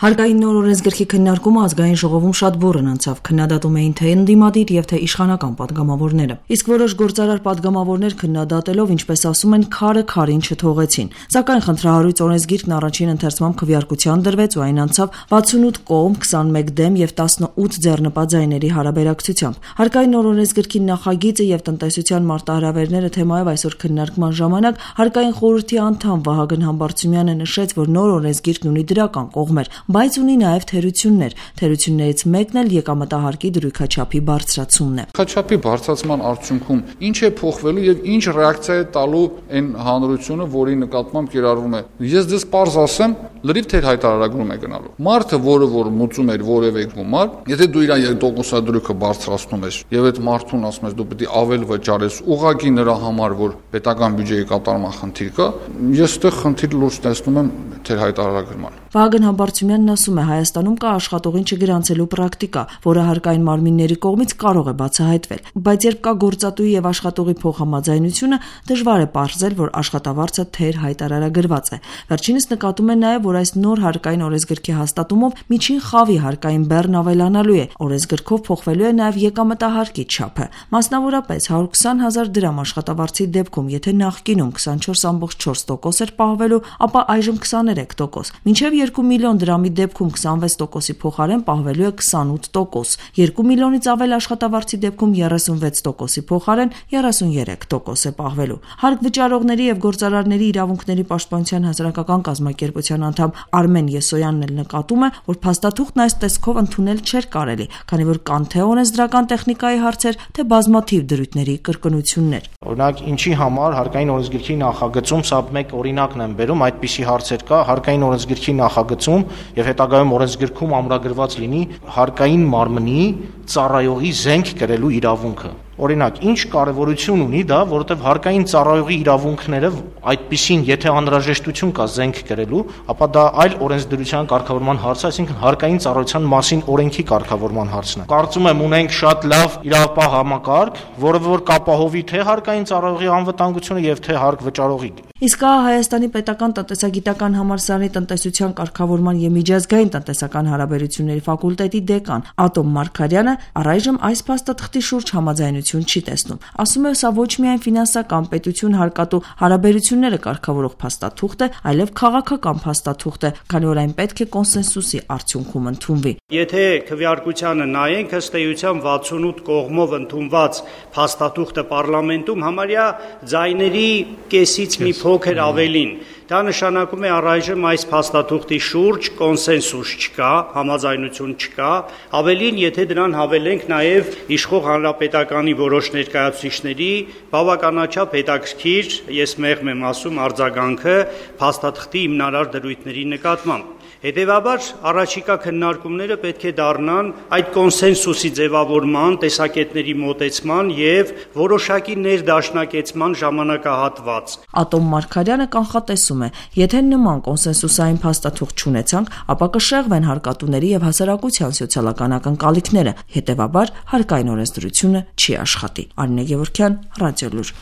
Հարկային նոր օրենսգրքի քննարկումը ազգային ժողովում շատ բուռն անցավ, քննադատում էին թե ընդդիմադիր եւ թե իշխանական պատգամավորները։ Իսկ որոշ գործարար պատգամավորներ քննադատելով, ինչպես ասում են, քարը քարին չթողեցին։ Սակայն խնդրահարույց օրենսգիրքն առաջին ընթերցմամբ քվեարկության դրվեց ու այն անցավ 68 կողմ, 21 դեմ եւ 18 ձեռնպատ ձայների հարաբերակցությամբ։ Հարկային նոր օրենսգրքի նախագիծը եւ տնտեսության մարտահրավերները թեմայով այսօր քննարկման ժամանակ հարկային խորհրդի անդամ Վահագն Համբարձումյանը նշեց, որ նոր օրենսգիրքն ունի դրական կողմեր, բայց ունի նաև թերություններ։ Թերություններից մեկն էլ եկամտահարկի դրույքաչափի բարձրացումն է։ Դրույքաչափի բարձրացման արդյունքում ինչ է փոխվելու եւ ինչ ռեակցիա է տալու այն հանրությունը, որի նկատմամբ կիրառվում է։ Ես դες պարզ ասեմ, լրիվ թեր հայտարարագրում է գնալու։ Մարդը, որ մուծում էր որևէ գումար, եթե դու իր տոկոսադրույքը բարձրացնում ես եւ այդ մարդուն ասում ես դու պետք է ավել վճարես, ուղղակի նրա համար, որ պետական բյուջեի կատարման խնդիր կա, ես այդտեղ խնդիր լուրջ տեսնում եմ թեր հայտարարագրման։ Վահագն Համբարձումյանն ասում է, Հայաստանում կա աշխատողին չգրանցելու պրակտիկա, որը հարկային մարմինների կողմից կարող է բացահայտվել, բայց երբ կա գործատուի եւ աշխատողի փոխհամաձայնությունը, դժվար է պարզել, որ աշխատավարձը թեր հայտարարագրված է։ Վերջինս նկատում է նաեւ, որ այս նոր հարկային օրենսգրքի հաստատումով միջին խավի հարկային բեռն ավելանալու է։ Օրենսգրքով փոխվելու է նաեւ եկամտահարկի չափը։ Մասնավորապես 120,000 դրամ աշխատավարձի դեպքում, եթե նախկինում 24.4% էր պահվելու, ապա այժմ 23%, մինչև 2 միլիոն դրամի դեպքում 26%-ի փոխարեն պահվելու է 28%, 2 միլիոնից ավել աշխատավարձի դեպքում 36%-ի փոխարեն 33% է պահվելու։ Հարկ վճարողների եւ գործարարների իրավունքների պաշտպանության հասարակական կազմակերպության անդամ Արմեն Եսոյանն էլ նկատում է, որ փաստաթուղթն այս տեսքով ընդունել չէր կարելի, քանի որ կան թե օրենսդրական տեխնիկայի հարցեր, թե բազմաթիվ դրույթների կրկնություններ։ Օրինակ, ինչի համար հարկային օրենսգրքի նախագծում սա մեկ օրինակն եմ բերում, այդպիսի հարցեր կա, հարկային օրենսգրքի նախագծում եւ հետագայում օրենսգրքում ամրագրված լինի հարկային մարմնի ծառայողի զենք կրելու իրավունքը։ Օրինակ, ինչ կարևորություն ունի դա, որովհետև հարկային ծառայողի իրավունքները այդպիսին, եթե անհրաժեշտություն կա զենք կրելու, ապա դա այլ օրենսդրության կարգավորման հարց է, այսինքն հարկային ծառայության մասին օրենքի կարգավորման հարցն է։ Կարծում եմ ունենք շատ լավ իրավապահ համակարգ, որը որ կապահովի թե հարկային ծառայողի անվտանգությունը եւ թե հարկ վճարողի։ Իսկ Հայաստանի պետական տնտեսագիտական համալսարանի տնտեսության կարգավորման եւ միջազգային տնտեսական հարաբերությունների ֆակուլտետի դեկան Ատոմ Մարգարյանը առայժմ այս փաստաթղթի շուրջ համաձայնություն չի տեսնում։ Ասում է, սա ոչ միայն ֆինանսական պետություն հարկատու հարաբերությունները կարգավորող փաստաթուղթ է, այլև քաղաքական փաստաթուղթ է, քանի որ այն պետք է կոնսենսուսի արդյունքում ընդունվի։ Եթե քվեարկությանը նայենք, ըստ էության 68 կողմով ընդունված փաստաթուղթը պարլամենտում համարյա ձայների կեսից մի փոքր ավելին։ Դա նշանակում է առայժմ այս փաստաթուղթի շուրջ կոնսենսուս չկա, համաձայնություն չկա, ավելին, եթե դրան հավելենք նաև իշխող հանրապետականի որոշ ներկայացուցիչների բավականաչափ հետաքրքիր, ես մեղմ եմ ասում, արձագանքը փաստաթղթի հիմնարար դրույթների նկատմամբ։ Հետևաբար առաջիկա քննարկումները պետք է դառնան այդ կոնսենսուսի ձևավորման, տեսակետների մոտեցման եւ որոշակի ներդաշնակեցման ժամանակահատված։ Ատոմ Մարգարյանը կանխատեսում է, եթե նման կոնսենսուսային փաստաթուղթ չունեցանք, ապա կշեղվեն հարկատուների եւ հասարակության սոցիալական ակնկալիքները, հետևաբար հարկային օրենսդրությունը չի աշխատի։ Արինե Գևորգյան, Ռադիոլուր։